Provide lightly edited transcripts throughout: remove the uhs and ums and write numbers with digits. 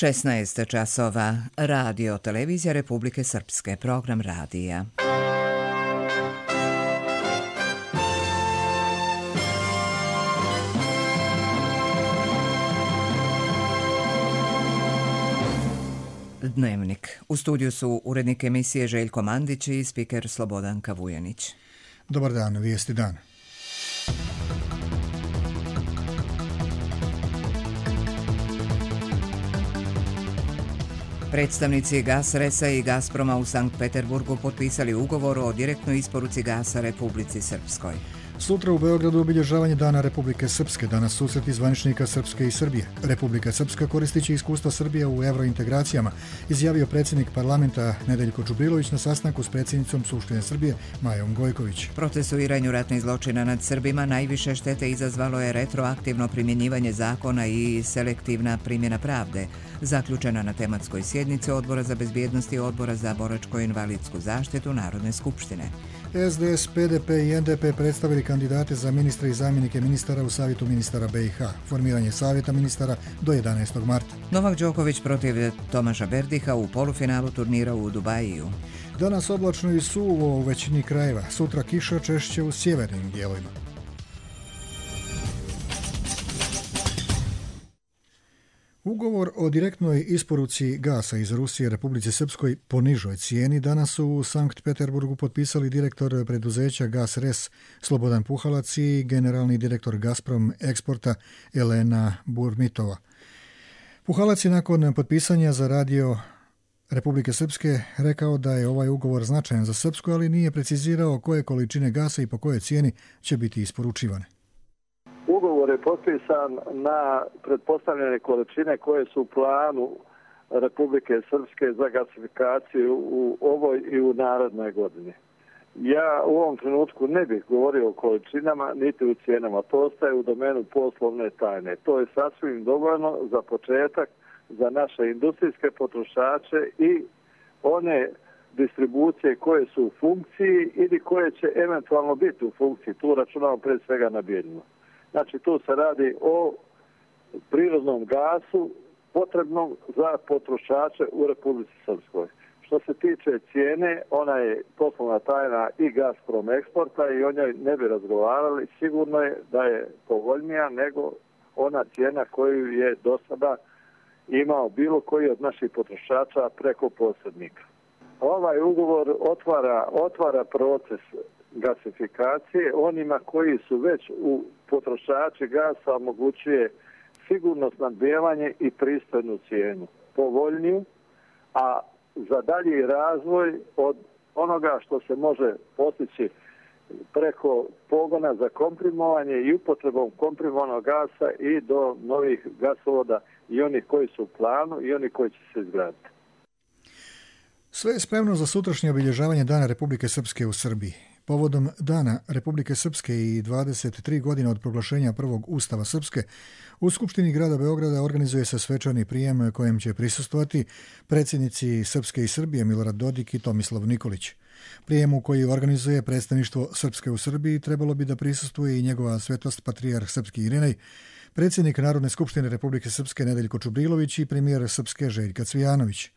16 časova. Radio Televizija Republike Srpske. Program radija. Dnevnik. U studiju su urednik emisije Željko Mandić i spiker Slobodanka Vujanić. Dobar dan, vijesti dan. Predstavnici Gasresa i Gazproma u Sankt Peterburgu potpisali ugovor o direktnoj isporuci gasa Republici Srpskoj. Sutra u Beogradu obilježavanje Dana Republike Srpske, danas susreti zvaničnika Srpske i Srbije. Republika Srpska koristit će iskustva Srbije u eurointegracijama, izjavio predsjednik parlamenta Nedeljko Čubrilović na sastanku s predsjednicom Skupštine Srbije Majom Gojković. Procesuiranju ratnih zločina nad Srbima najviše štete izazvalo je retroaktivno primjenjivanje zakona i selektivna primjena pravde, zaključena na tematskoj sjednici Odbora za bezbjednost i Odbora za boračko-invalidsku zaštitu Narodne skupštine. SDS, PDP i NDP predstavili kandidate za ministre i zamjenike ministara u Savjetu ministara BiH. Formiranje Savjeta ministara do 11. marta. Novak Đoković protiv Tomaša Berdiha u polufinalu turnira u Dubaju. Danas oblačno i suvo u većini krajeva. Sutra kiša, češće u sjevernim dijelovima. Ugovor o direktnoj isporuci gasa iz Rusije Republici Srpskoj po nižoj cijeni danas su u Sankt Peterburgu potpisali direktor preduzeća Gasres Slobodan Puhalac i generalni direktor Gazprom eksporta Elena Burmitova. Puhalac je nakon potpisanja za radio Republike Srpske rekao da je ovaj ugovor značajan za Srpsku, ali nije precizirao koje količine gasa i po kojoj cijeni će biti isporučivane. Ugovor je potpisan na pretpostavljene količine koje su u planu Republike Srpske za gasifikaciju u ovoj i u narednoj godini. Ja u ovom trenutku ne bih govorio o količinama niti u cijenama. To ostaje u domenu poslovne tajne. To je sasvim dovoljno za početak za naše industrijske potrošače i one distribucije koje su u funkciji ili koje će eventualno biti u funkciji. Tu računamo pre svega na Bijeljinu. Znači, tu se radi o prirodnom gasu potrebnom za potrošače u Republici Srpskoj. Što se tiče cijene, ona je poslovna tajna i Gazprom eksporta i o njoj ne bi razgovarali. Sigurno je da je povoljnija nego ona cijena koju je do sada imao bilo koji od naših potrošača preko posrednika. Ovaj ugovor otvara proces gasifikacije onima koji su već u potrošači gasa omogućuje sigurno snabdijevanje i pristojnu cijenu, povoljniju, a za dalji razvoj od onoga što se može postići preko pogona za komprimovanje i upotrebom komprimovanog gasa i do novih gasovoda i onih koji su u planu i oni koji će se izgraditi. Sve je spremno za sutrašnje obilježavanje Dana Republike Srpske u Srbiji. Povodom Dana Republike Srpske i 23 godine od proglašenja prvog Ustava Srpske, u Skupštini grada Beograda organizuje se svečani prijem kojem će prisustvovati predsjednici Srpske i Srbije Milorad Dodik i Tomislav Nikolić. Prijemu koji organizuje predstavništvo Srpske u Srbiji trebalo bi da prisustvuje i njegova svetost patrijarh Srpski Irinej, predsjednik Narodne skupštine Republike Srpske Nedeljko Čubrilović i premijer Srpske Željka Cvijanović.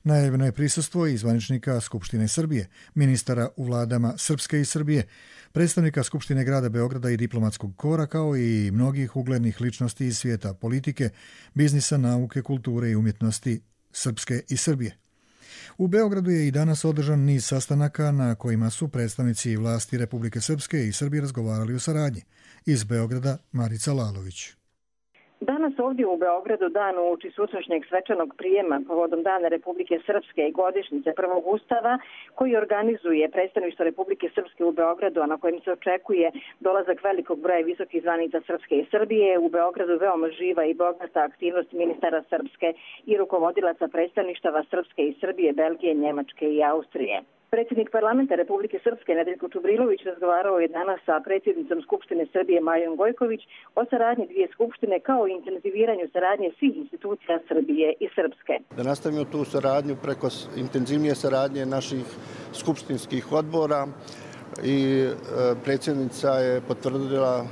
Najavljeno je prisustvo i zvaničnika Skupštine Srbije, ministara u vladama Srpske i Srbije, predstavnika Skupštine grada Beograda i diplomatskog kora, kao i mnogih uglednih ličnosti iz svijeta politike, biznisa, nauke, kulture i umjetnosti Srpske i Srbije. U Beogradu je i danas održan niz sastanaka na kojima su predstavnici vlasti Republike Srpske i Srbije razgovarali o saradnji. Iz Beograda Marica Lalović. Danas ovdje u Beogradu dan uoči sutrašnjeg svečanog prijema povodom Dana Republike Srpske i godišnjice prvog Ustava koji organizuje predstavništvo Republike Srpske u Beogradu, a na kojem se očekuje dolazak velikog broja visokih zvanica Srpske i Srbije. U Beogradu veoma živa i bogata aktivnost ministara Srpske i rukovodilaca predstavništava Srpske i Srbije, Belgije, Njemačke i Austrije. Predsjednik parlamenta Republike Srpske Nedeljko Čubrilović razgovarao je danas sa predsjednicom Skupštine Srbije Majom Gojković o saradnji dvije skupštine kao i intenziviranju saradnje svih institucija Srbije i Srpske. Da nastavimo tu saradnju preko intenzivnije saradnje naših skupštinskih odbora i predsjednica je potvrdila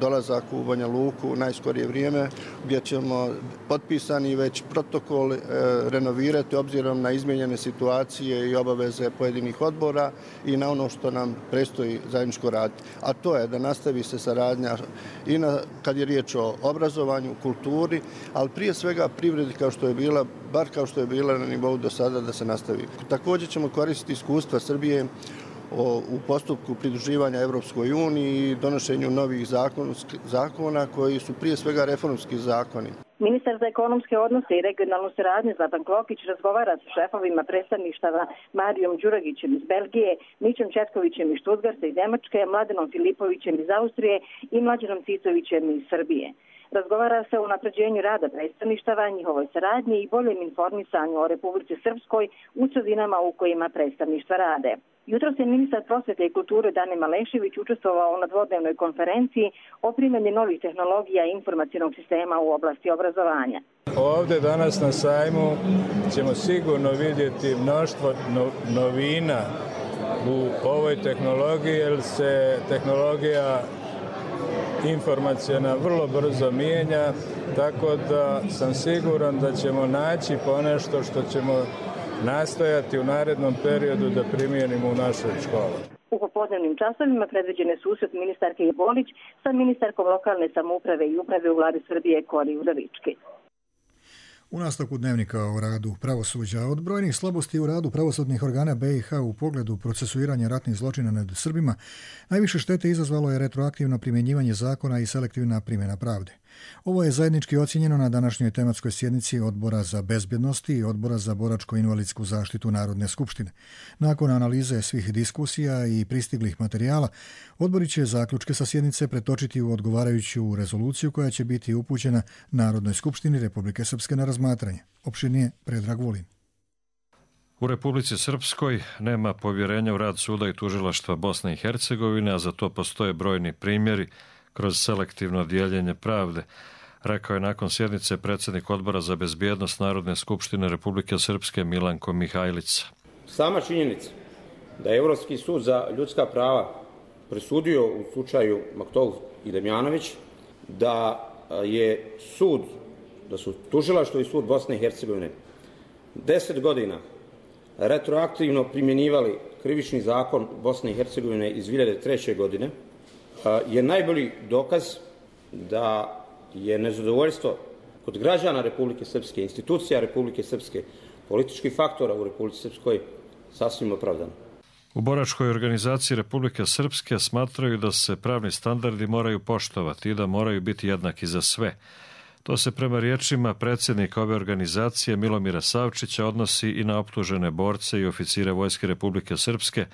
dolazak u Banja Luku u najskorije vrijeme, gdje ćemo potpisani već protokol renovirati obzirom na izmijenjene situacije i obaveze pojedinih odbora i na ono što nam predstoji zajedničko raditi. A to je da nastavi se saradnja i kad je riječ o obrazovanju, kulturi, ali prije svega privredi kao što je bila, bar kao što je bila na nivou do sada, da se nastavi. Također ćemo koristiti iskustva Srbije u postupku pridruživanja Europskoj uniji i donošenju novih zakona koji su prije svega reformski zakoni. Ministar za ekonomske odnose i regionalnu saradnju Zlatan Klokić razgovara sa šefovima predstavništava Marijom Đuragićem iz Belgije, Mićom Četkovićem iz Štutgarta i Nemačke, Mladenom Filipovićem iz Austrije i Mlađanom Cicovićem iz Srbije. Razgovara se o unapređenju rada predstavništava, njihovoj saradnji i boljem informisanju o Republici Srpskoj u sredinama u kojima predstavništva rade. Jutros je ministar prosvete i kulture Dane Malešević učestvovao na dvodnevnoj konferenciji o primjeni novih tehnologija i informacionog sistema u oblasti obrazovanja. Ovdje danas na sajmu ćemo sigurno vidjeti mnoštvo novina u ovoj tehnologiji, jer se tehnologija informacijona vrlo brzo mijenja, tako da sam siguran da ćemo naći ponešto što ćemo nastojati u narednom periodu da primijenimo u našoj školi. U popodnevnim časovima predviđene susret ministarke Bolić sa ministarkom lokalne samouprave i uprave u vladi Srbije Kori Udovički. U nastavku dnevnika o radu pravosuđa, od brojnih slabosti u radu pravosudnih organa BiH u pogledu procesuiranja ratnih zločina nad Srbima, najviše štete izazvalo je retroaktivno primjenjivanje zakona i selektivna primjena pravde. Ovo je zajednički ocijenjeno na današnjoj tematskoj sjednici Odbora za bezbjednost i Odbora za boračko-invalidsku zaštitu Narodne skupštine. Nakon analize svih diskusija i pristiglih materijala, odbori će zaključke sa sjednice pretočiti u odgovarajuću rezoluciju koja će biti upućena Narodnoj skupštini Republike Srpske na razmatranje. Opširnije Predrag Vulin. U Republici Srpskoj nema povjerenja u rad suda i tužilaštva Bosne i Hercegovine, a za to postoje brojni primjeri kroz selektivno dijeljenje pravde, rekao je nakon sjednice predsjednik Odbora za bezbjednost Narodne skupštine Republike Srpske Milanko Mihajlica. Sama činjenica da je Europski sud za ljudska prava presudio u slučaju Maktov i Damjanović da su tužilaštvo i sud Bosne i Hercegovine 10 godina retroaktivno primjenjivali krivični zakon Bosne i Hercegovine iz 2003. godine, je najbolji dokaz da je nezadovoljstvo kod građana Republike Srpske, institucija Republike Srpske, političkih faktora u Republici Srpskoj sasvim opravdano. U boračkoj organizaciji Republike Srpske smatraju da se pravni standardi moraju poštovati i da moraju biti jednaki za sve. To se prema riječima predsjednika ove organizacije Milomira Savčića odnosi i na optužene borce i oficire Vojske Republike Srpske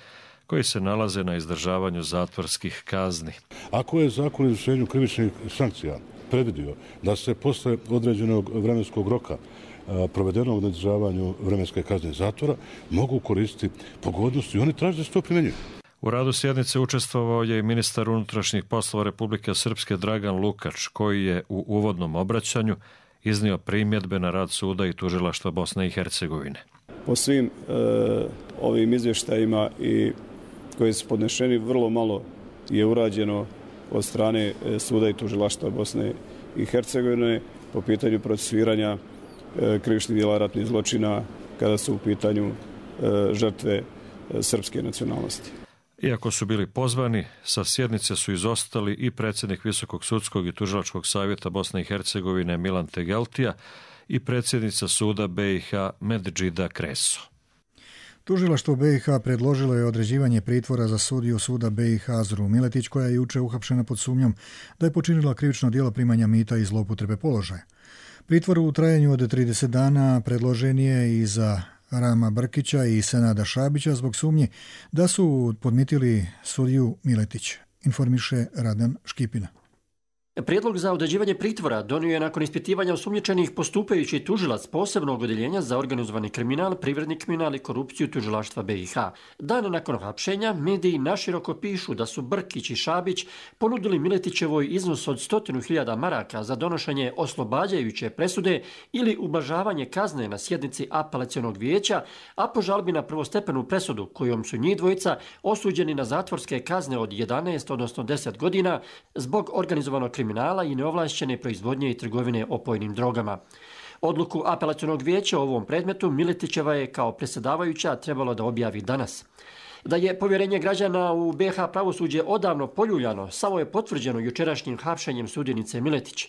koji se nalaze na izdržavanju zatvorskih kazni. Ako je zakon o izvršenju krivičnih sankcija predvidio da se posle određenog vremenskog roka provedenog na izdržavanju vremenske kazne zatvora mogu koristiti pogodnosti i oni traže da se to primjenjuje. U radu sjednice učestvovao je i ministar unutrašnjih poslova Republike Srpske Dragan Lukač, koji je u uvodnom obraćanju iznio primjedbe na rad suda i tužilaštva Bosne i Hercegovine. Po svim ovim izvještajima i koji su podnešeni, vrlo malo je urađeno od strane suda i tužilaštva Bosne i Hercegovine po pitanju procesuiranja krivičnih djela ratnih zločina kada su u pitanju žrtve srpske nacionalnosti. Iako su bili pozvani, sa sjednice su izostali i predsjednik Visokog sudskog i tužilačkog savjeta Bosne i Hercegovine Milan Tegeltija i predsjednica suda BiH Medžida Kreso. Tužilaštvo BiH predložilo je određivanje pritvora za sudiju suda BiH Azru Miletić, koja je juče uhapšena pod sumnjom da je počinila krivično djelo primanja mita i zloupotrebe položaja. Pritvor u trajanju od 30 dana predložen je i za Rama Brkića i Senada Šabića zbog sumnje da su podmitili sudiju Miletić, informiše Radan Škipina. Prijedlog za određivanje pritvora donio je nakon ispitivanja osumnjičenih postupajući tužilac posebnog odjeljenja za organizovani kriminal, privredni kriminal i korupciju tužilaštva BiH. Dan nakon hapšenja mediji naširoko pišu da su Brkić i Šabić ponudili Miletićevoj iznos od 100.000 maraka za donošenje oslobađajuće presude ili ublažavanje kazne na sjednici apelacionog vijeća, a po žalbi na prvostepenu presudu kojom su njih dvojica osuđeni na zatvorske kazne od 11 odnosno 10 godina zbog organizovanog kriminala i neovlašćene proizvodnje i trgovine opojnim drogama. Odluku apelacionog vijeća o ovom predmetu Miletićeva je kao predsjedavajuća trebalo da objavi danas. Da je povjerenje građana u BiH pravosuđe odavno poljuljano, samo je potvrđeno jučerašnjim hapšenjem sudjenice Miletić.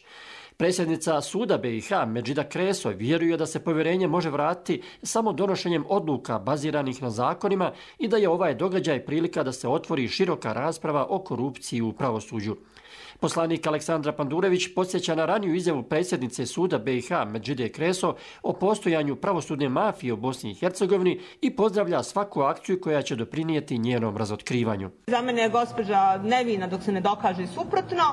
Predsjednica suda BiH Medžida Kreso vjeruje da se povjerenje može vratiti samo donošenjem odluka baziranih na zakonima i da je ovaj događaj prilika da se otvori široka rasprava o korupciji u pravosuđu. Poslanik Aleksandra Pandurević podsjeća na raniju izjavu predsjednice suda BiH Medžide Kreso o postojanju pravosudne mafije u Bosni i Hercegovini i pozdravlja svaku akciju koja će doprinijeti njenom razotkrivanju. Za mene je gospođa nevina dok se ne dokaže suprotno,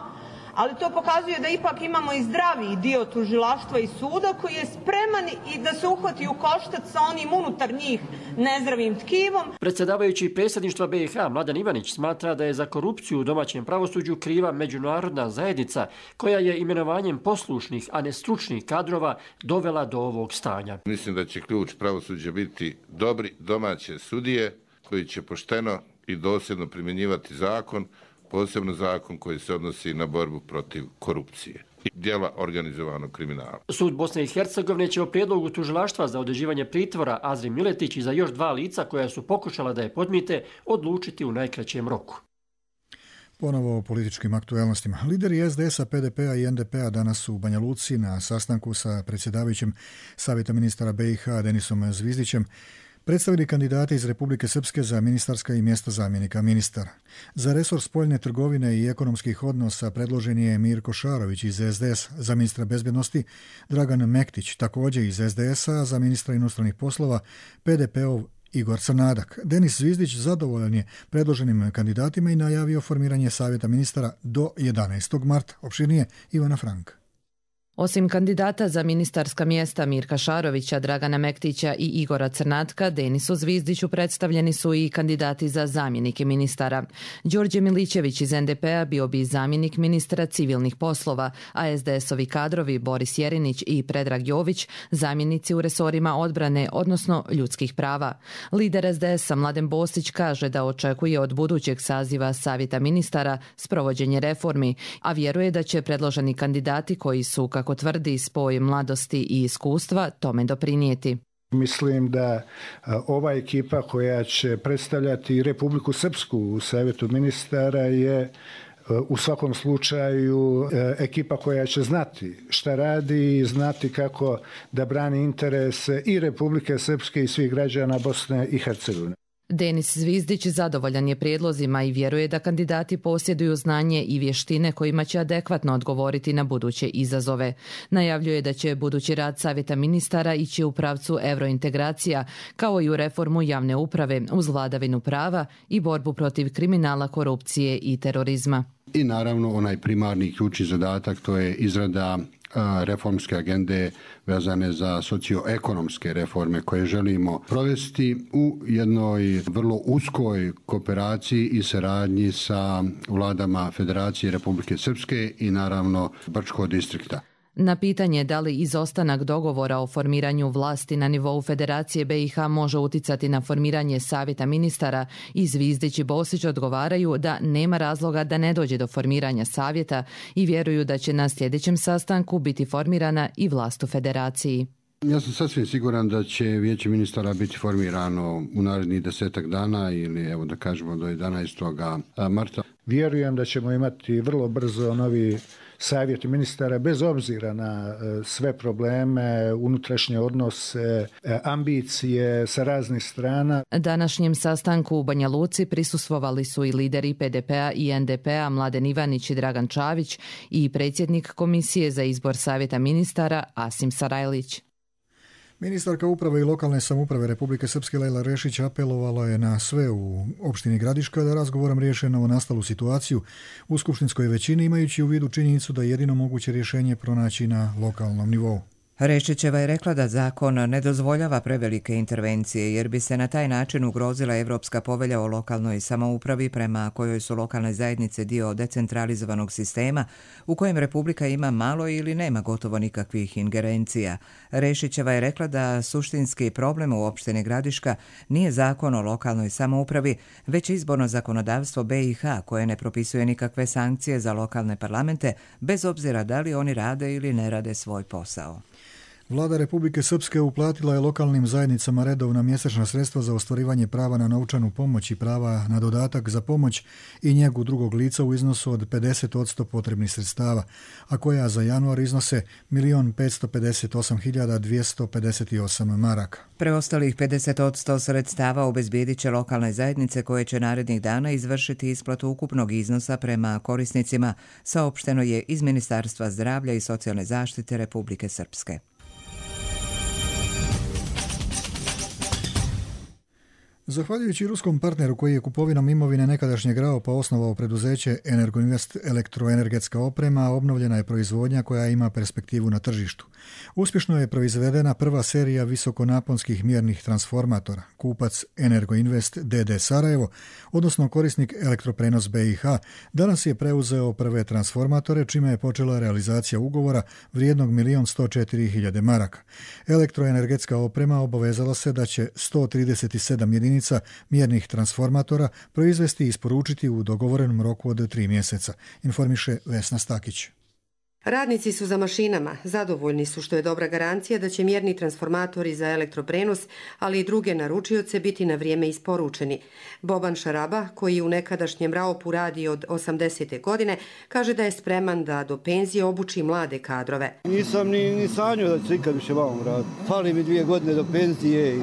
ali to pokazuje da ipak imamo i zdraviji dio tužilaštva i suda koji je spreman i da se uhvati u koštac sa onim unutar njih nezdravim tkivom. Predsjedavajući predsjedništva BiH Mladen Ivanić smatra da je za korupciju u domaćem pravosuđu kriva međunarodna zajednica koja je imenovanjem poslušnih, a ne stručnih kadrova dovela do ovog stanja. Mislim da će ključ pravosuđa biti dobri domaće sudije koji će pošteno i dosljedno primjenjivati zakon, posebno zakon koji se odnosi na borbu protiv korupcije i djela organizovanog kriminala. Sud Bosne i Hercegovine će o prijedlogu tužilaštva za određivanje pritvora Azri Miletić i za još 2 lica koja su pokušala da je podmite odlučiti u najkraćem roku. Ponovo o političkim aktualnostima. Lideri SDS-a, PDP-a i NDP-a danas su u Banja Luci na sastanku sa predsjedavajućim Savjeta ministara BiH Denisom Zvizdićem predstavili kandidate iz Republike Srpske za ministarska i mjesta zamjenika ministara. Za resor spoljne trgovine i ekonomskih odnosa predložen je Mirko Šarović iz SDS, za ministra bezbjednosti Dragan Mektić, također iz SDS-a, za ministra inostranih poslova PDP-ov Igor Crnadak. Denis Zvizdić zadovoljan je predloženim kandidatima i najavio formiranje Savjeta ministara do 11. marta. Opširnije Ivana Frank. Osim kandidata za ministarska mjesta Mirka Šarovića, Dragana Mektića i Igora Crnatka, Denisu Zvizdiću predstavljeni su i kandidati za zamjenike ministara. Đorđe Milićević iz NDP-a bio bi zamjenik ministra civilnih poslova, a SDS-ovi kadrovi Boris Jerinić i Predrag Jović zamjenici u resorima odbrane, odnosno ljudskih prava. Lider SDS-a Mladen Bostić kaže da očekuje od budućeg saziva Savjeta ministara sprovođenje reformi, a vjeruje da će predloženi kandidati koji su, kako tvrdi, spoj mladosti i iskustva tome doprinijeti. Mislim da ova ekipa koja će predstavljati Republiku Srpsku u Savjetu ministara je u svakom slučaju ekipa koja će znati šta radi i znati kako da brani interese i Republike Srpske i svih građana Bosne i Hercegovine. Denis Zvizdić zadovoljan je prijedlozima i vjeruje da kandidati posjeduju znanje i vještine kojima će adekvatno odgovoriti na buduće izazove. Najavljuje da će budući rad Savjeta ministara ići u pravcu eurointegracija, kao i u reformu javne uprave uz vladavinu prava i borbu protiv kriminala, korupcije i terorizma. I naravno onaj primarni ključni zadatak, to je izrada reformske agende vezane za socioekonomske reforme koje želimo provesti u jednoj vrlo uskoj kooperaciji i saradnji sa vladama Federacije Republike Srpske i naravno Brčkog distrikta. Na pitanje da li izostanak dogovora o formiranju vlasti na nivou Federacije BiH može uticati na formiranje Savjeta ministara, i Zvizdić i Bosić odgovaraju da nema razloga da ne dođe do formiranja savjeta i vjeruju da će na sljedećem sastanku biti formirana i vlast u Federaciji. Ja sam sasvim siguran da će Vijeće ministara biti formirano u narednih 10 dana ili evo da kažemo do 11. marta. Vjerujem da ćemo imati vrlo brzo novi Savjet ministara bez obzira na sve probleme, unutrašnje odnose, ambicije sa raznih strana. Današnjem sastanku u Banja Luci prisustvovali su i lideri PDP-a i NDP-a Mladen Ivanić i Dragan Čavić i predsjednik Komisije za izbor Savjeta ministara Asim Sarajlić. Ministarka uprave i lokalne samouprave Republike Srpske Lejla Rešić apelovala je na sve u opštini Gradiška da razgovorom riješe novonastalu situaciju u skupštinskoj većini, imajući u vidu činjenicu da je jedino moguće rješenje pronaći na lokalnom nivou. Rešićeva je rekla da zakon ne dozvoljava prevelike intervencije jer bi se na taj način ugrozila Evropska povelja o lokalnoj samoupravi prema kojoj su lokalne zajednice dio decentralizovanog sistema u kojem Republika ima malo ili nema gotovo nikakvih ingerencija. Rešićeva je rekla da suštinski problem u opštini Gradiška nije zakon o lokalnoj samoupravi, već izborno zakonodavstvo BiH koje ne propisuje nikakve sankcije za lokalne parlamente bez obzira da li oni rade ili ne rade svoj posao. Vlada Republike Srpske uplatila je lokalnim zajednicama redovna mjesečna sredstva za ostvarivanje prava na novčanu pomoć i prava na dodatak za pomoć i njegu drugog lica u iznosu od 50% potrebnih sredstava, a koja za januar iznose 1.558.258 maraka. Preostalih 50% sredstava obezbijedit će lokalne zajednice koje će narednih dana izvršiti isplatu ukupnog iznosa prema korisnicima, saopšteno je iz Ministarstva zdravlja i socijalne zaštite Republike Srpske. Zahvaljujući ruskom partneru koji je kupovinom imovine nekadašnjeg RAOP-a osnovao preduzeće Energoinvest elektroenergetska oprema, obnovljena je proizvodnja koja ima perspektivu na tržištu. Uspješno je proizvedena prva serija visokonaponskih mjernih transformatora. Kupac Energoinvest DD Sarajevo, odnosno korisnik Elektroprenos BiH, danas je preuzeo prve transformatore, čime je počela realizacija ugovora vrijednog 1.104.000 maraka. Elektroenergetska oprema obavezala se da će 137 jedinica mjernih transformatora proizvesti i isporučiti u dogovorenom roku od 3 mjeseca, informiše Vesna Stakić. Radnici su za mašinama, zadovoljni su što je dobra garancija da će mjerni transformatori za elektroprenos, ali i druge naručioce biti na vrijeme isporučeni. Boban Šaraba, koji u nekadašnjem RAOP-u radi od 80. godine, kaže da je spreman da do penzije obuči mlade kadrove. Nisam ni sanjao da ću ikad više vamo raditi. Fali mi 2 godine do penzije i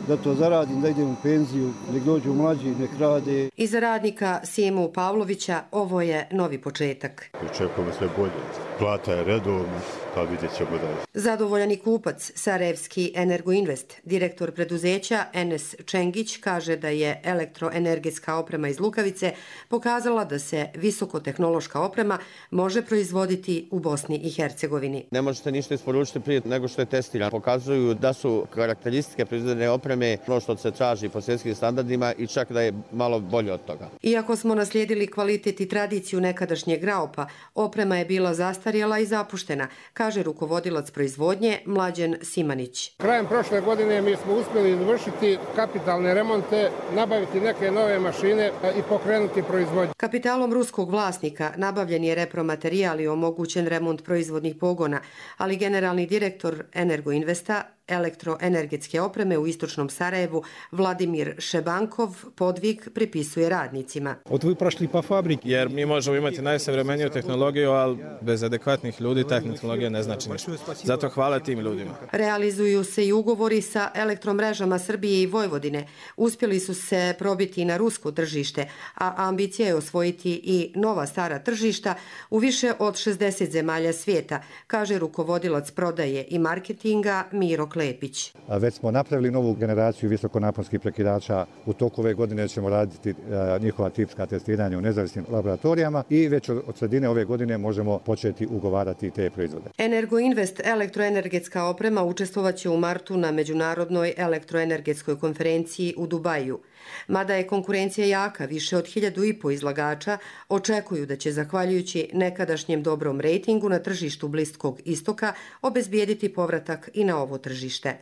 da to zaradim, da idem u penziju, nek dođu mlađi, nek rade. I za radnika Sjemu Pavlovića ovo je novi početak. Očekujemo sve bolje. Plata je redovna, pa vidjet ćemo dalje. Zadovoljan i kupac, sarajevski Energoinvest. Direktor preduzeća Enes Čengić kaže da je elektroenergetska oprema iz Lukavice pokazala da se visokotehnološka oprema može proizvoditi u Bosni i Hercegovini. Ne možete ništa isporučiti prije nego što je testirano. Pokazuju da su karakteristike proizvedene opreme ono što se traži po svjetskim standardima i čak da je malo bolje od toga. Iako smo naslijedili kvalitet i tradiciju nekadašnjeg RAOP-a, oprema je bila zastarjela i zapuštena, kaže rukovodilac proizvodnje Mlađen Simanić. Krajem prošle godine mi smo uspjeli izvršiti kapitalne remonte, nabaviti neke nove mašine i pokrenuti proizvodnju. Kapitalom ruskog vlasnika nabavljen je repromaterijal i omogućen remont proizvodnih pogona, ali generalni direktor Energoinvesta elektroenergetske opreme u istočnom Sarajevu Vladimir Šebankov podvig pripisuje radnicima. Od prošli pa fabrik. Jer mi možemo imati najsavremeniju tehnologiju, ali bez adekvatnih ljudi ta tehnologija ne znači ništa. Zato hvala tim ljudima. Realizuju se i ugovori sa elektromrežama Srbije i Vojvodine. Uspjeli su se probiti na rusko tržište, a ambicija je osvojiti i nova stara tržišta u više od 60 zemalja svijeta, kaže rukovodilac prodaje i marketinga Miro Klepić. Već smo napravili novu generaciju visokonaponskih prekidača. U toku ove godine ćemo raditi njihova tipska testiranja u nezavisnim laboratorijama i već od sredine ove godine možemo početi ugovarati te proizvode. Energoinvest elektroenergetska oprema učestvovaće u martu na Međunarodnoj elektroenergetskoj konferenciji u Dubaju. Mada je konkurencija jaka, više od 1.500 izlagača očekuju da će, zahvaljujući nekadašnjem dobrom rejtingu na tržištu Bliskog istoka, obezbijediti povratak i na ovo tržište.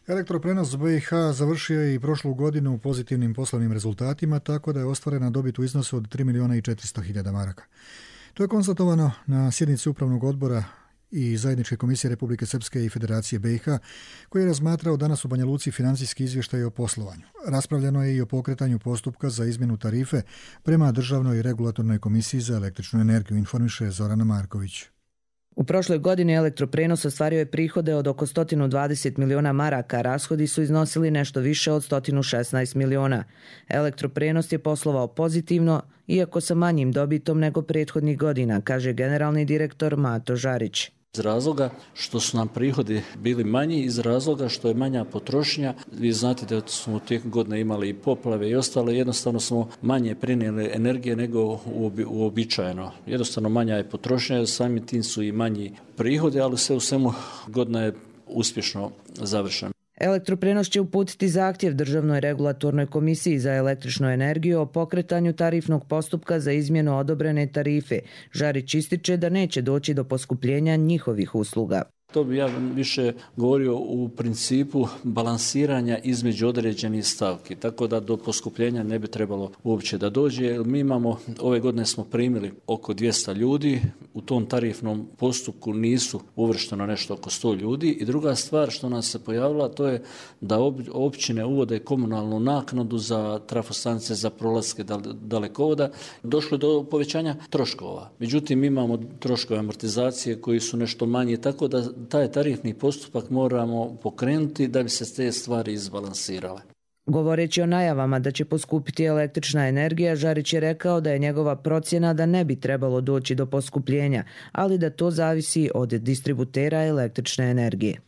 Elektroprenos BiH završio je i prošlu godinu pozitivnim poslovnim rezultatima, tako da je ostvarena dobit u iznosu od 3.400.000 maraka. To je konstatovano na sjednici Upravnog odbora i Zajedničke komisije Republike Srpske i Federacije BiH, koji je razmatrao danas u Banja Luci financijski izvještaj o poslovanju. Raspravljeno je i o pokretanju postupka za izmjenu tarife prema Državnoj regulatornoj komisiji za električnu energiju, informiše Zorana Marković. U prošloj godini Elektroprenos ostvario je prihode od oko 120 miliona maraka, rashodi su iznosili nešto više od 116 miliona. Elektroprenos je poslovao pozitivno, iako sa manjim dobitom nego prethodnih godina, kaže generalni direktor Mato Žarić. Iz razloga što su nam prihodi bili manji, iz razloga što je manja potrošnja. Vi znate da smo tijekom godine imali i poplave i ostalo, jednostavno smo manje prenijeli energije nego uobičajeno. Jednostavno manja je potrošnja, samim tim su i manji prihodi, ali sve u svemu godina je uspješno završena. Elektroprenos će uputiti zahtjev Državnoj regulatornoj komisiji za električnu energiju o pokretanju tarifnog postupka za izmjenu odobrene tarife. Žarić ističe da neće doći do poskupljenja njihovih usluga. To bi ja više govorio u principu balansiranja između određenih stavki, tako da do poskupljenja ne bi trebalo uopće da dođe. Mi imamo, ove godine smo primili oko 200 ljudi, u tom tarifnom postupku nisu uvršteno nešto oko 100 ljudi i druga stvar što nas se pojavila to je da općine uvode komunalnu naknadu za trafostanice, za prolaske dalekovoda. Došlo do povećanja troškova. Međutim, imamo troškove amortizacije koji su nešto manji, tako da taj tarifni postupak moramo pokrenuti da bi se te stvari izbalansirale. Govoreći o najavama da će poskupiti električna energija, Žarić je rekao da je njegova procjena da ne bi trebalo doći do poskupljenja, ali da to zavisi od distributera električne energije.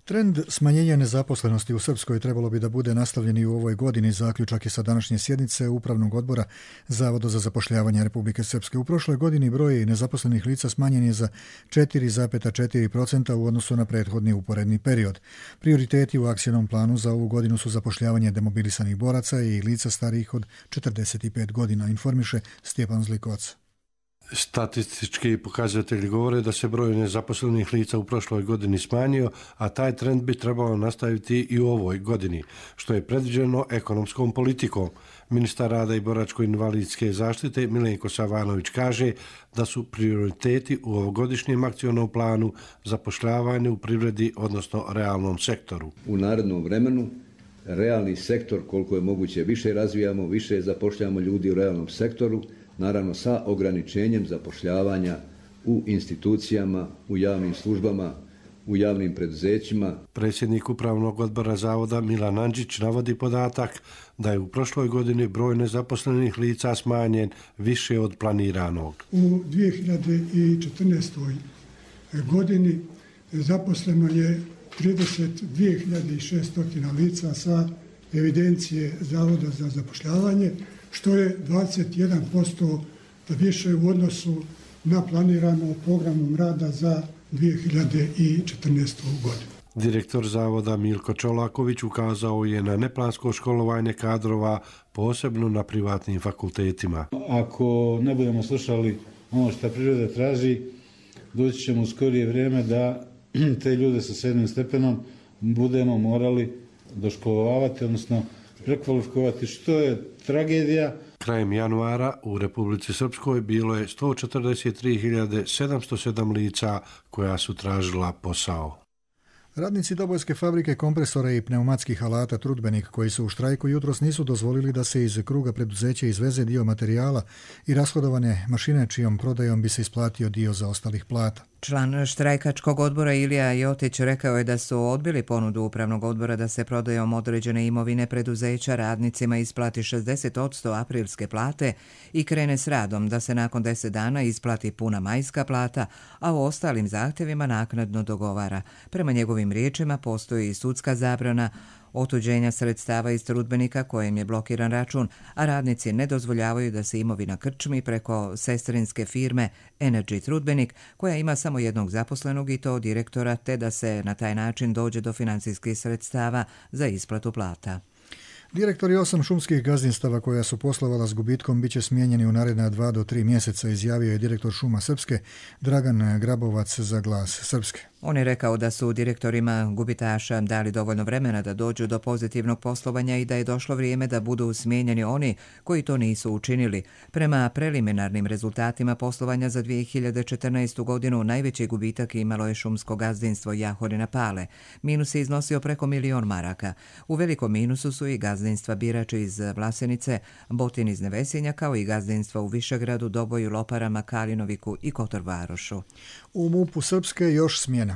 Trend smanjenja nezaposlenosti u Srpskoj trebalo bi da bude nastavljen i u ovoj godini. Zaključak je sa današnje sjednice Upravnog odbora Zavoda za zapošljavanje Republike Srpske. U prošloj godini broj nezaposlenih lica smanjen je za 4,4% u odnosu na prethodni uporedni period. Prioriteti u akcijnom planu za ovu godinu su zapošljavanje demobilisanih boraca i lica starijih od 45 godina, informiše Stjepan Zlikovac. Statistički pokazatelji govore da se broj nezaposlenih lica u prošloj godini smanjio, a taj trend bi trebalo nastaviti i u ovoj godini, što je predviđeno ekonomskom politikom. Ministar rada i boračko-invalidske zaštite Milenko Savanović kaže da su prioriteti u ovogodišnjem akcionom planu zapošljavanje u privredi, odnosno realnom sektoru. U narednom vremenu realni sektor koliko je moguće više razvijamo, više zapošljavamo ljudi u realnom sektoru, naravno sa ograničenjem zapošljavanja u institucijama, u javnim službama, u javnim preduzećima. Predsjednik Upravnog odbora Zavoda Milan Andžić navodi podatak da je u prošloj godini broj nezaposlenih lica smanjen više od planiranog. U 2014. godini zaposleno je 32.600 lica sa evidencije Zavoda za zapošljavanje, što je 21% više u odnosu na planirano programom rada za 2014. godinu. Direktor Zavoda Milko Čolaković ukazao je na neplansko školovanje kadrova, posebno na privatnim fakultetima. Ako ne budemo slušali ono što priroda traži, doći ćemo u skorije vrijeme da te ljude sa 7. stepenom budemo morali doškolovati, odnosno prekvalifikovati, što je tragedija. Krajem januara u Republici Srpskoj bilo je 143.707 lica koja su tražila posao. Radnici Dobojske fabrike kompresora i pneumatskih alata Trudbenik koji su u štrajku jutros nisu dozvolili da se iz kruga preduzeća izveze dio materijala i rashodovane mašine čijom prodajom bi se isplatio dio zaostalih plata. Član štrajkačkog odbora Ilija Jotić rekao je da su odbili ponudu Upravnog odbora da se prodajom određene imovine preduzeća radnicima isplati 60% aprilske plate i krene s radom da se nakon 10 dana isplati puna majska plata, a o ostalim zahtjevima naknadno dogovara. Prema njegovim riječima postoji i sudska zabrana otuđenja sredstava iz Trudbenika kojem je blokiran račun, a radnici ne dozvoljavaju da se imovina krčmi preko sestrinske firme Energy Trudbenik, koja ima samo jednog zaposlenog i to direktora, te da se na taj način dođe do financijskih sredstava za isplatu plata. Direktori 8 šumskih gazdinstava koja su poslovala s gubitkom biće smijenjeni u naredna 2 do 3 mjeseca, izjavio je direktor Šuma Srpske Dragan Grabovac za Glas Srpske. On je rekao da su direktorima gubitaša dali dovoljno vremena da dođu do pozitivnog poslovanja i da je došlo vrijeme da budu smijenjeni oni koji to nisu učinili. Prema preliminarnim rezultatima poslovanja za 2014. godinu najveći gubitak imalo je šumsko gazdinstvo Jahorina Pale. Minus je iznosio preko 1.000.000 maraka. U velikom minusu su i gazdinstva Birač iz Vlasenice, Botin iz Nevesinja, kao i gazdinstva u Višegradu, Doboju, Loparama, Kalinoviku i Kotor Varošu. U MUP-u Srpske još smjena.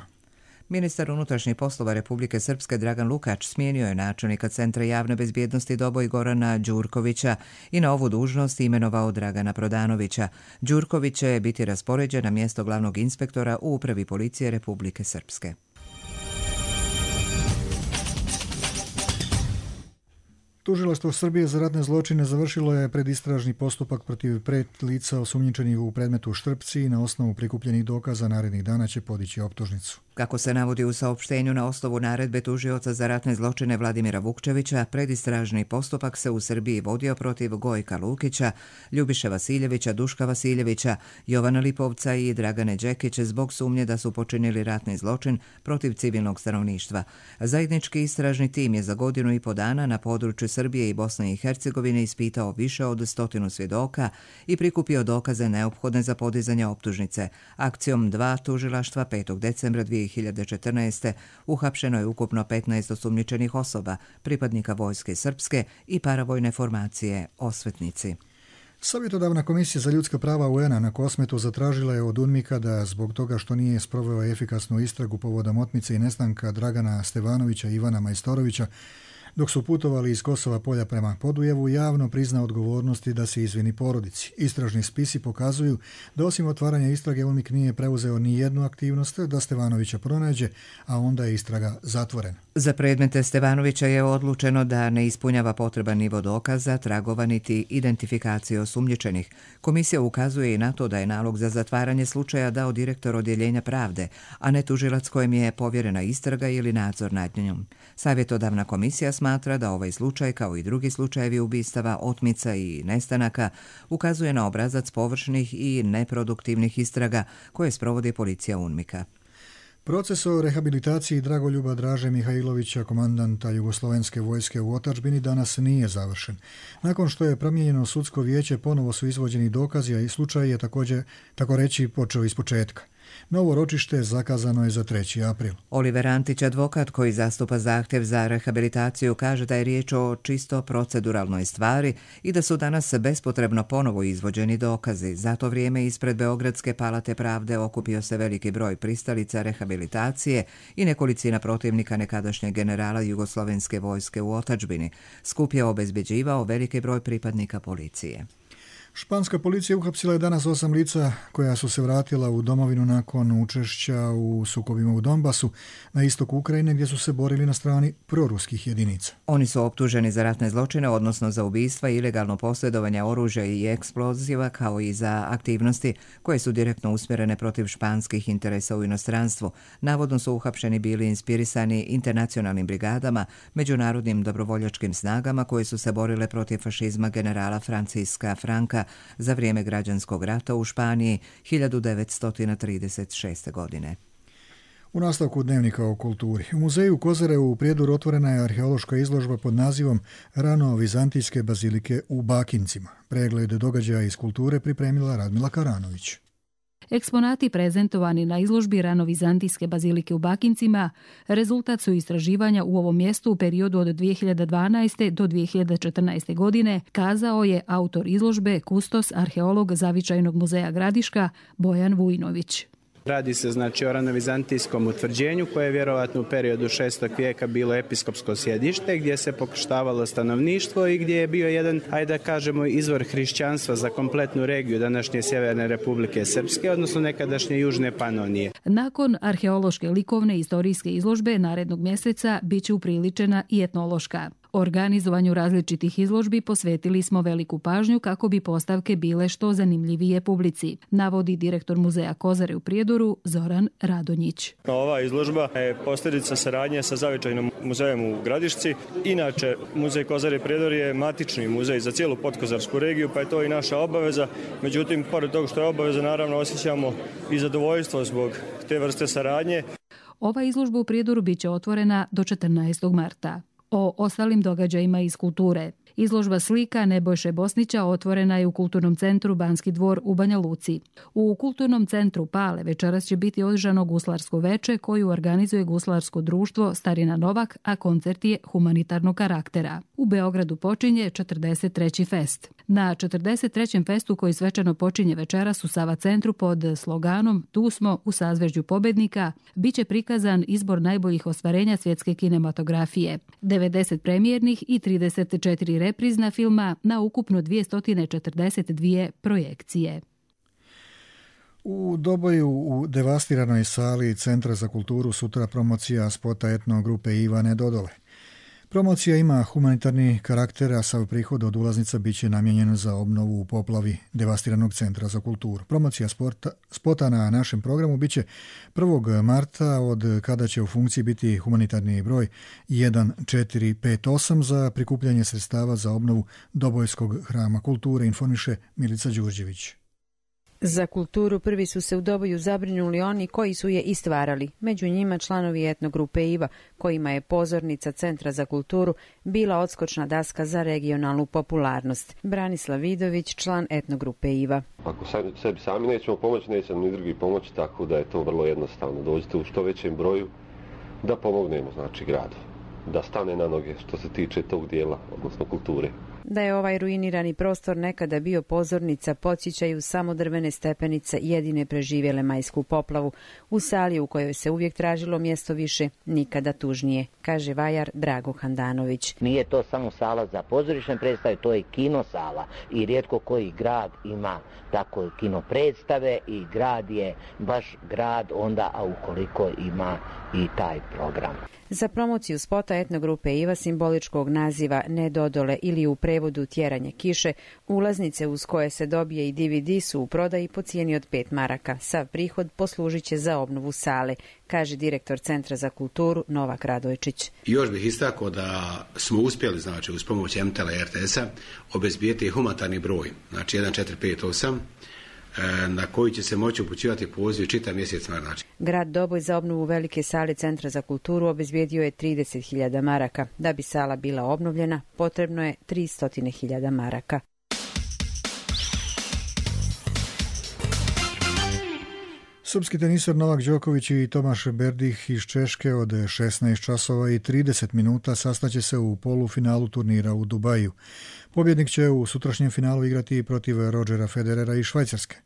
Ministar unutrašnjih poslova Republike Srpske Dragan Lukač smijenio je načelnika Centra javne bezbjednosti Doboj Gorana Đurkovića i na ovu dužnost imenovao Dragana Prodanovića. Đurković će biti raspoređen na mjesto glavnog inspektora u Upravi policije Republike Srpske. Tužilaštvo Srbije za ratne zločine završilo je predistražni postupak protiv 5 lica osumnjičenih u predmetu Štrpci i na osnovu prikupljenih dokaza narednih dana će podići optužnicu. Kako se navodi u saopštenju na osnovu naredbe tužioca za ratne zločine Vladimira Vukčevića, predistražni postupak se u Srbiji vodio protiv Gojka Lukića, Ljubiše Vasiljevića, Duška Vasiljevića, Jovana Lipovca i Dragane Đekić zbog sumnje da su počinili ratni zločin protiv civilnog stanovništva. Zajednički istražni tim je za 1.5 godina dana na području Srbije i Bosne i Hercegovine ispitao više od 100 svjedoka i prikupio dokaze neophodne za podizanje optužnice. Akcijom 2 tužilaštva 5. decembra 2014. uhapšeno je ukupno 15 osumnjičenih osoba, pripadnika vojske srpske i paravojne formacije Osvetnici. Savjetodavna komisija za ljudska prava UN-a na Kosmetu zatražila je od UNMIK-a da zbog toga što nije sproveo efikasnu istragu povodom otmice i nestanka Dragana Stevanovića i Ivana Majstorovića, dok su putovali iz Kosova Polja prema Podujevu, javno prizna odgovornosti da se izvini porodici. Istražni spisi pokazuju da osim otvaranja istrage UNMIK nije preuzeo ni jednu aktivnost da Stevanovića pronađe, a onda je istraga zatvorena. Za predmete Stevanovića je odlučeno da ne ispunjava potreban nivo dokaza, tragova niti identifikacije osumnjičenih. Komisija ukazuje i na to da je nalog za zatvaranje slučaja dao direktor odjeljenja pravde, a ne tužilac kojem je povjerena istraga ili nadzor nad njom. Savjetodavna komisija smatra da ovaj slučaj, kao i drugi slučajevi ubistava, otmica i nestanaka, ukazuje na obrazac površnih i neproduktivnih istraga koje sprovodi policija UNMIK-a. Proces o rehabilitaciji Dragoljuba Draže Mihajlovića, komandanta Jugoslovenske vojske u otadžbini, danas nije završen. Nakon što je promijenjeno sudsko vijeće, ponovo su izvođeni dokazi, a i slučaj je također, tako reći, počeo iz početka. Novo ročište zakazano je za 3. april. Oliver Antić, advokat koji zastupa zahtjev za rehabilitaciju, kaže da je riječ o čisto proceduralnoj stvari i da su danas bespotrebno ponovo izvođeni dokazi. Za to vrijeme ispred Beogradske palate pravde okupio se veliki broj pristalica rehabilitacije i nekolicina protivnika nekadašnjeg generala Jugoslovenske vojske u otadžbini. Skup je obezbeđivao veliki broj pripadnika policije. Španska policija uhapsila je danas 8 lica koja su se vratila u domovinu nakon učešća u sukobima u Donbasu na istoku Ukrajine, gdje su se borili na strani proruskih jedinica. Oni su optuženi za ratne zločine, odnosno za ubistva, ilegalno posjedovanje oružja i eksploziva, kao i za aktivnosti koje su direktno usmjerene protiv španskih interesa u inostranstvu. Navodno su uhapšeni bili inspirisani internacionalnim brigadama, međunarodnim dobrovoljačkim snagama koje su se borile protiv fašizma generala Franciska Franka za vrijeme građanskog rata u Španiji 1936. godine. U nastavku dnevnika o kulturi. U muzeju Kozare u Prijedoru otvorena je arheološka izložba pod nazivom Rano vizantijske bazilike u Bakincima. Pregled događaja iz kulture pripremila Radmila Karanović. Eksponati prezentovani na izložbi Rano-vizantijske bazilike u Bakincima rezultat su istraživanja u ovom mjestu u periodu od 2012. do 2014. godine, kazao je autor izložbe, kustos, arheolog Zavičajnog muzeja Gradiška Bojan Vujnović. Radi se o ranovizantijskom utvrđenju koje je vjerovatno u periodu 6. vijeka bilo episkopsko sjedište gdje se pokrštavalo stanovništvo i gdje je bio jedan, ajde da kažemo, izvor hrišćanstva za kompletnu regiju današnje Sjeverne Republike Srpske, odnosno nekadašnje Južne Panonije. Nakon arheološke, likovne i istorijske izložbe narednog mjeseca bit će upriličena i etnološka. Organizovanju različitih izložbi posvetili smo veliku pažnju kako bi postavke bile što zanimljivije publici, navodi direktor muzeja Kozare u Prijedoru Zoran Radonjić. Ova izložba je posljedica saradnje sa Zavičajnim muzejom u Gradišci. Inače, muzej Kozare Prijedor je matični muzej za cijelu podkozarsku regiju, pa je to i naša obaveza. Međutim, pored toga što je obaveza, naravno osjećamo i zadovoljstvo zbog te vrste saradnje. Ova izložba u Prijedoru bit će otvorena do 14. marta. O ostalim događajima iz kulture. Izložba slika Nebojše Bosnića otvorena je u Kulturnom centru Banski dvor u Banja Luci. U Kulturnom centru Pale večeras će biti održano guslarsko veče koju organizuje guslarsko društvo Starina Novak, a koncert je humanitarnog karaktera. U Beogradu počinje 43. fest. Na 43. festu koji svečano počinje večeras u Sava centru pod sloganom Tu smo u sazvežđu pobednika biće prikazan izbor najboljih ostvarenja svjetske kinematografije. 90 premijernih i 34 reprizna filma na ukupno 242 projekcije. U Doboju u devastiranoj sali Centra za kulturu sutra promocija spota etno grupe Ivane Dodole. Promocija ima humanitarni karakter, a sav prihod od ulaznica biće namijenjen za obnovu u poplavi devastiranog Centra za kulturu. Promocija spota na našem programu biće 1. marta, od kada će u funkciji biti humanitarni broj 1458 za prikupljanje sredstava za obnovu Dobojskog hrama kulture, informiše Milica Đurđević. Za kulturu prvi su se u Doboju zabrinuli oni koji su je i stvarali, među njima članovi etnogrupe Iva, kojima je pozornica Centra za kulturu bila odskočna daska za regionalnu popularnost. Branislav Vidović, član etnogrupe Iva. Ako sebi sami nećemo pomoći, neće nam ni drugi pomoći, tako da je to vrlo jednostavno. Dođite u što većem broju da pomognemo, znači, gradu, da stane na noge što se tiče tog dijela, odnosno kulture. Da je ovaj ruinirani prostor nekada bio pozornica, podsjećaju samo drvene stepenice jedine preživjele majsku poplavu. U sali u kojoj se uvijek tražilo mjesto više, nikada tužnije, kaže vajar Drago Handanović. Nije to samo sala za pozorišne predstave, to je kino sala i rijetko koji grad ima tako kino predstave i grad je baš grad onda, a ukoliko ima i taj program. Za promociju spota etnogrupe Iva simboličkog naziva Ne Dodole ili u prevodu Tjeranje kiše, ulaznice uz koje se dobije i DVD su u prodaji po cijeni od 5 maraka. Sav prihod poslužit će za obnovu sale, kaže direktor Centra za kulturu Novak Radojčić. Još bih istakao da smo uspjeli, znači, uz pomoć MTL i RTS-a obezbijeti humanitarni broj, znači 1458, na koji će se moći upućivati poziv čitav mjesec. Znači. Grad Doboj za obnovu velike sale Centra za kulturu obezbijedio je 30.000 maraka. Da bi sala bila obnovljena, potrebno je 300.000 maraka. Srpski teniser Novak Đoković i Tomaš Berdih iz Češke od 16 časova i 30 minuta sastaće se u polufinalu turnira u Dubaju. Pobjednik će u sutrašnjem finalu igrati protiv Rodgera Federera iz Švajcarske.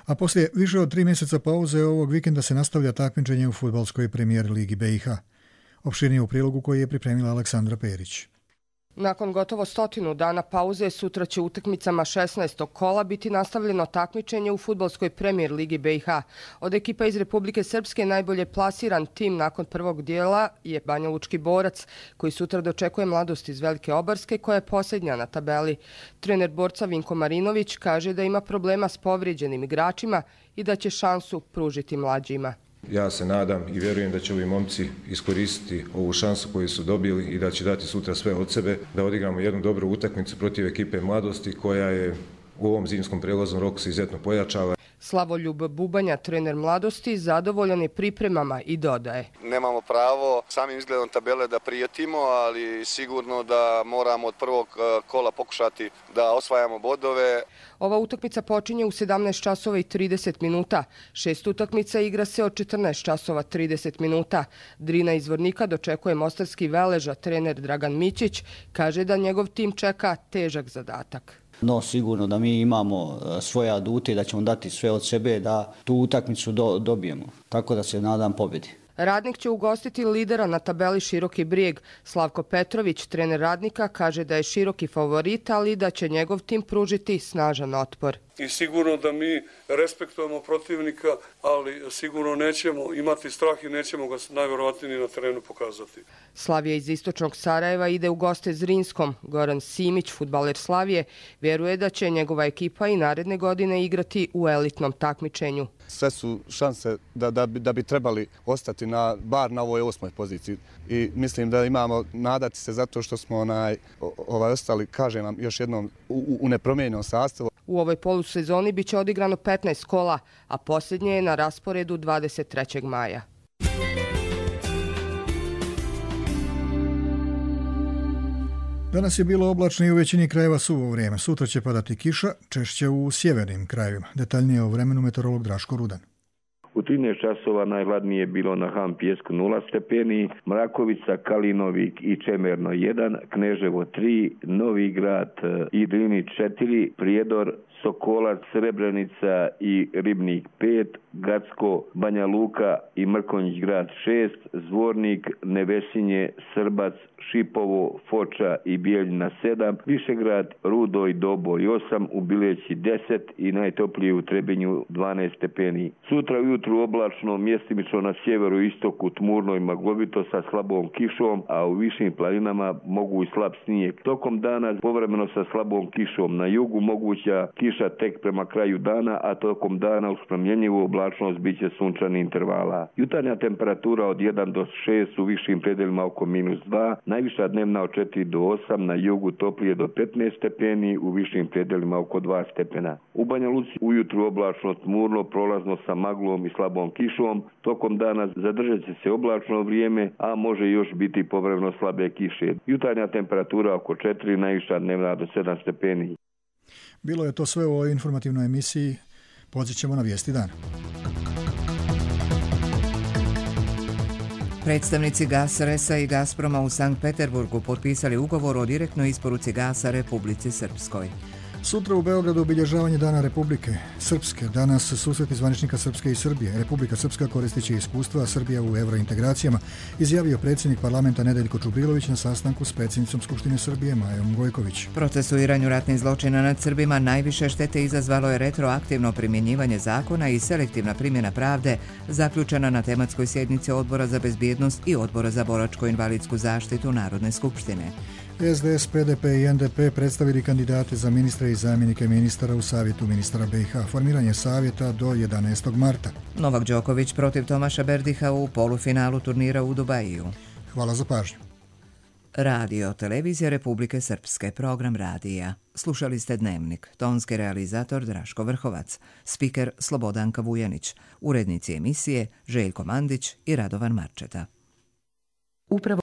A poslije više od 3 mjeseca pauze ovog vikenda se nastavlja takmičenje u fudbalskoj premijer ligi BiH. Opširnije u prilogu koji je pripremila Aleksandra Perić. Nakon gotovo 100 dana pauze, sutra će utakmicama 16. kola biti nastavljeno takmičenje u fudbalskoj premijer ligi BiH. Od ekipa iz Republike Srpske najbolje plasiran tim nakon prvog dijela je Banja Lučki Borac, koji sutra dočekuje Mladost iz Velike Obarske, koja je posljednja na tabeli. Trener Borca Vinko Marinović kaže da ima problema s povrijeđenim igračima i da će šansu pružiti mlađima. Ja se nadam i vjerujem da će ovi momci iskoristiti ovu šansu koju su dobili i da će dati sutra sve od sebe, da odigramo jednu dobru utakmicu protiv ekipe Mladosti koja je u ovom zimskom prelaznom roku se izuzetno pojačava. Slavoljub Bubanja, trener Mladosti, zadovoljan je pripremama i dodaje. Nemamo pravo samim izgledom tabele da prijetimo, ali sigurno da moramo od prvog kola pokušati da osvajamo bodove. Ova utakmica počinje u 17 časova i 30 minuta. 6 utakmica igra se od 14 časova 30 minuta. Drina iz Vornika dočekuje mostarski Veleža. Trener Dragan Mićić kaže da njegov tim čeka težak zadatak. No, sigurno da mi imamo svoje adute i da ćemo dati sve od sebe da tu utakmicu dobijemo. Tako da se nadam pobjedi. Radnik će ugostiti lidera na tabeli Široki Brijeg. Slavko Petrović, trener Radnika, kaže da je Široki favorit, ali da će njegov tim pružiti snažan otpor. I sigurno da mi respektujemo protivnika, ali sigurno nećemo imati strah i nećemo ga najvjerovatnije na terenu pokazati. Slavija iz istočnog Sarajeva ide u goste Zrinskom. Goran Simić, fudbaler Slavije, vjeruje da će njegova ekipa i naredne godine igrati u elitnom takmičenju. Sve su šanse da bi trebali ostati bar na ovoj 8. poziciji. I mislim da imamo nadati se zato što smo ostali, kažem vam još jednom, u nepromijenjenom sastavu. U ovoj polusezoni biće odigrano 15 kola, a posljednje je na rasporedu 23. maja. Danas je bilo oblačno i u većini krajeva suvo vrijeme. Sutra će padati kiša, češće u sjevernim krajevima. Detaljnije o vremenu meteorolog Draško Rudan. U 13 časova najhladnije je bilo na Ham Pijesku 0 stepeni, Mrakovica, Kalinovik i Čemerno 1, Kneževo 3, Novi Grad i Drini 4, Prijedor, Sokolac, Srebrenica i Ribnik 5, Gacko, Banja Luka i Mrkonjić grad 6, Zvornik, Nevesinje, Srbac, Šipovo, Foča i Bijeljina 7, Višegrad, Rudo i Doboj 8, u Bileći 10 i najtoplije u Trebinju 12 stepeni. Sutra ujutru oblačno, mjestimično na sjeveru i istoku tmurno i maglovito sa slabom kišom, a u višim planinama mogu i slab snijeg. Tokom dana povremeno sa slabom kišom, na jugu moguća kiša tek prema kraju dana, a tokom dana uz promjenjivu oblačnost bit će sunčani intervala. Jutarnja temperatura od 1 do 6, u višim predelima oko -2, najviša dnevna od 4 do 8, na jugu toplije do 15 stepeni, u višim predelima oko 2 stepena. U Banja Luci ujutru oblačno tmurno, prolazno sa maglom i slabom kišom, tokom dana zadržat će se oblačno vrijeme, a može još biti povremeno slabe kiše. Jutarnja temperatura oko 4, najviša dnevna do 7 stepeni. Bilo je to sve u ovoj informativnoj emisiji. Podsjećamo na vijesti dana. Predstavnici Gasresa i Gazproma u Sankt Peterburgu potpisali ugovor o direktnoj isporuci gasa Republici Srpskoj. Sutra u Beogradu obilježavanje Dana Republike Srpske. Danas susreti zvaničnika Srpske i Srbije. Republika Srpska koristit će iskustva, a Srbija u eurointegracijama, izjavio predsjednik parlamenta Nedeljko Čubrilović na sastanku s predsjednicom Skupštine Srbije Majom Gojković. Procesuiranju ratnih zločina nad Srbima najviše štete izazvalo je retroaktivno primjenjivanje zakona i selektivna primjena pravde, zaključena na tematskoj sjednici Odbora za bezbjednost i Odbora za boračko-invalidsku zaštitu Narodne skupštine. SDS, PDP i NDP predstavili kandidate za ministre i zamjenike ministara u Savjetu ministara BiH. Formiranje savjeta do 11. marta. Novak Đoković protiv Tomaša Berdiha u polufinalu turnira u Dubaju. Hvala za pažnju. Radio, televizija Republike Srpske, program radija. Slušali ste Dnevnik, tonski realizator Draško Vrhovac, spiker Slobodanka Vujanić, urednici emisije Željko Mandić i Radovan Marčeta. Upravo